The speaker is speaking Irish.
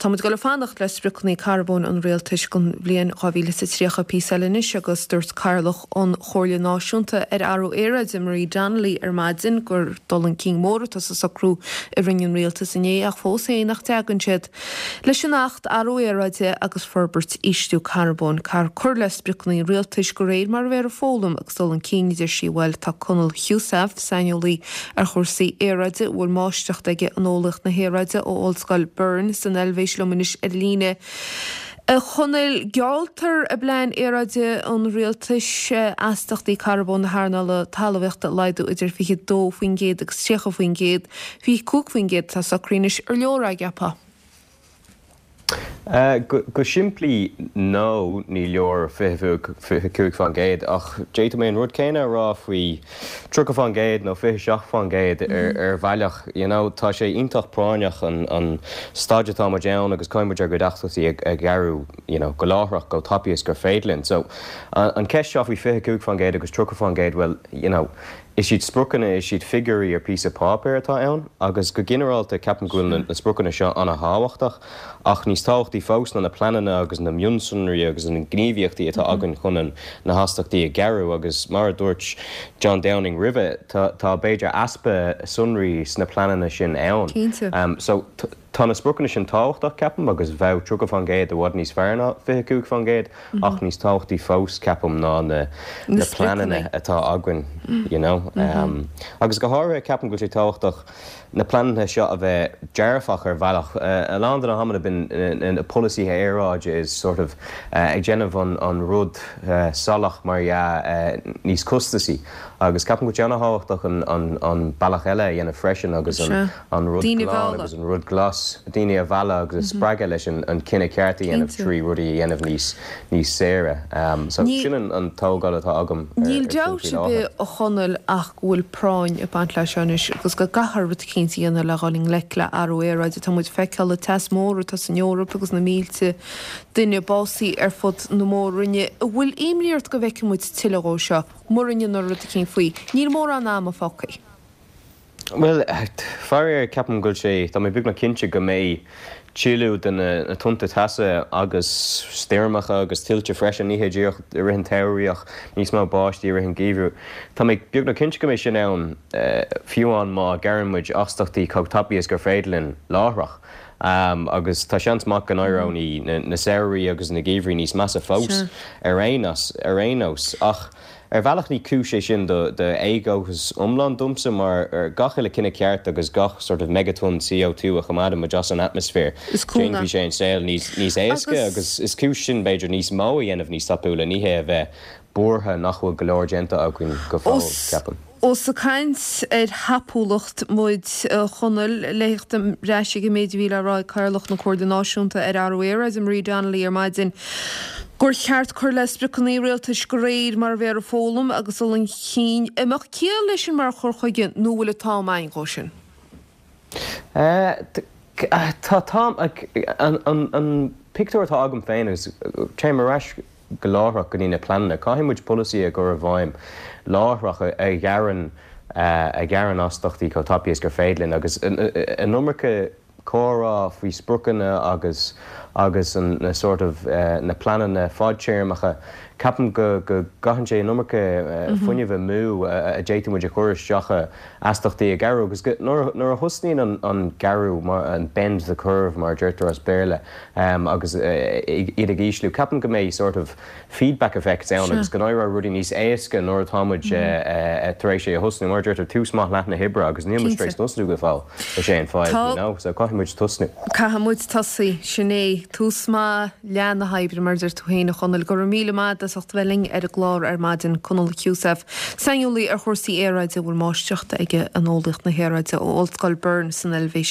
Tá muid ag dul ag fanacht le spriocanna carbóin an rialtais don bhliain 2030 píosa eile anois agus dúirt Cathaoirleach an Chomhairle Náisiúnta ar Athrú Aeráide, Marie Donnelly ar maidin gur dul chun cinn mór atá sa socrú a rinne an rialtas inné ach fós féin nach dtagann siad leis an Acht Athrú Aeráide agus Forbairt Ísliú Carbóin. Caithfear cur le spriocanna an rialtais de réir mar a bheifear ag foghlaim agus dul chun cinn, a deir sí. Bhuel, tá Conall Heussaff, saineolaí ar chúrsaí aeráide a bhfuil máistreacht aige in eolaíocht na haeráide ó Ollscoil Bern san Eilvéis liom anois ar líne. A Chonaill, gealltar i bplean aeráide an rialtais astachtaí carbóin na hearnála talmhaíochta a laghdú idir 22% agus 30%. 25% atá socraithe anois. Ar leor é, an gceapfá? Go simplí, no, ní leor 25% ach d'fhéadfadh mé an rud céanna a rá faoi 30% nó 27% ar bhealach. You know, tá sé iontach práinneach an staid atá muid ann agus caithfidh muid ár gcuid astaíochtaí a ghearradh you know, go láithreach, chomh tapaidh is gur féidir linn. So, an cheist seo faoi 25% agus 30%, bhuel, you know, Is iad spriocanna, is iad figiúirí ar phíosa páipéir atá ann agus go ginearálta ceapaim go bhfuil na spriocanna seo an-thábhachtach ach níos tábhachtaí fós ná na pleananna agus na mionsonraí agus na gníomhaíochtaí atá againn chun na hastachtaí a ghearradh agus mar a dúirt John Downing roimhe tá b'fhéidir easpa sonraí sna pleananna sin ann. Cinnte. So tá na spriocanna sin tábhachtach ceapaim agus bheadh 30% i bhfad níos fearr ná 25%. Ach níos tábhachtaí fós, ceapaim, ná na Na pleananna spriocanna. atá againn, you know. Agus go háirithe, ceapaim go bhfuil sé tábhachtach na pleananna seo a bheith dearfach ar bhealach. A lán de na hamanna bíonn na polasaithe aeráide is sort of ag déanamh an rud salach, mar dhea, níos costasaí. Agus ceapaim go bhfuil sé an-thábhachtach an bealach eile a dhéanamh freisin agus an an rud Daoine a glan mhealladh. agus an rud glas, daoine a mhealladh agus a spreagadh leis an cinneadh ceart a dhéanamh Cinnte. trí rudaí a dhéanamh níos níos saoire. So Ní sin an an tógáil atá agam ar Níl ar sin dabht faoi ar láthair. bith, a Chonaill, ach go bhfuil práinn ag baint leis seo anois agus go gcaithfear rud eicínt a dhéanamh le dhul i ngleic le athrú aeráide. Tá muid ag feiceáil an teas mór atá san Eoraip agus na mílte duine básaithe ar fud na mór-roinne. An bhfuil imní ort go bhfeicfidh muid tuilleadh dhó seo mura ndéanfar rud eicínt faoi? Níl mórán ama fágtha. Bhuel, faraor, ceapaim go bhfuil sé, tá mé beagnach cinnte go mbeidh tuilleadh de na tonnta teasa agus stoirmeacha agus tuilte freisin, ní hé díreach i rith an tsamhraidh ach níos mó báistí i rith an gheimhridh. Tá mé beagnach cinnte go mbeidh sin ann fiú amháin má ghearrann muid astachtaí chomh tapaidh is gur féidir linn láithreach. Agus tá seans maith go n-éireoidh na samhraí agus na geimhrí níos measa fós ar aon nós. Ach. Ar bhealach ní cúis é sin do éadóchas iomlán domsa mar gach uile cinneadh ceart agus gach sort of megatonne CO2 a choimeádann muid as an atmaisféar, Is cúnamh. déanfaidh sé an saol níos níos éasca agus is cúis sin b'fhéidir níos mó a dhéanamh níos tapúla, ní hé a bheith buartha nach bhfuil go leor déanta againn go fóill, ceapaim. Ós ag caint ar thapúlacht muid, a Chonaill, le theacht ar ais ag an méid a bhí le rá ag Cathaoirleach na Comhairle Náisiúnta ar Athrú Aeráide, Marie Donnelly, ar maidin, gur cheart cur le spriocanna rialtais de réir mar a bheifear ag foghlaim agus dul chun cinn. An mbeadh ciall leis sin mar chur chuige nó an bhfuil an t-am againn dhó sin? Tá t-am, an pictiúr atá agam féin agus téim ar ais go láithreach go dtí na pleananna. Caithfidh muid polasaí a chur i bhfeidhm láithreach a ghearrann a ghearrann astachtaí chomh tapaidh is gur féidir linn agus an iomarca comhrá faoi spriocanna agus agus an na sort of na pleananna fadtéarmacha ceapaim go go gcaitheann sé an iomarca fuinnimh amú a d'fhéadfadh muid a chur isteach i astachtaí a ghearradh agus go nuair nuair a thosnaíonn an an gearradh mar an bend the curve mar a deirtear as Béarla agus iad ag ísliú. Ceapaim go mbeidh sort of feedback effects ann agus go n-éireoidh rudaí níos éasca nuair atá muid tar éis é a thosnú. Mar a deirtear, tús maith leath na hoibre agus níl muid tar éis tosnú go fóill, is é an fadhb, you know, so caithfidh muid tosnú. Caithfidh muid tosaí, sin é. Tús maith leath na hoibre, mar a deir tú féin, a Chonaill. Go raibh míle maith agat as ucht a bheith linn ar an gclár ar maidin, Conall Heussaff, saineolaí ar chúrsaí aeráide a bhfuil máistreacht aige in eolaíocht na haeráide ó Ollscoil Bern san Eilvéis.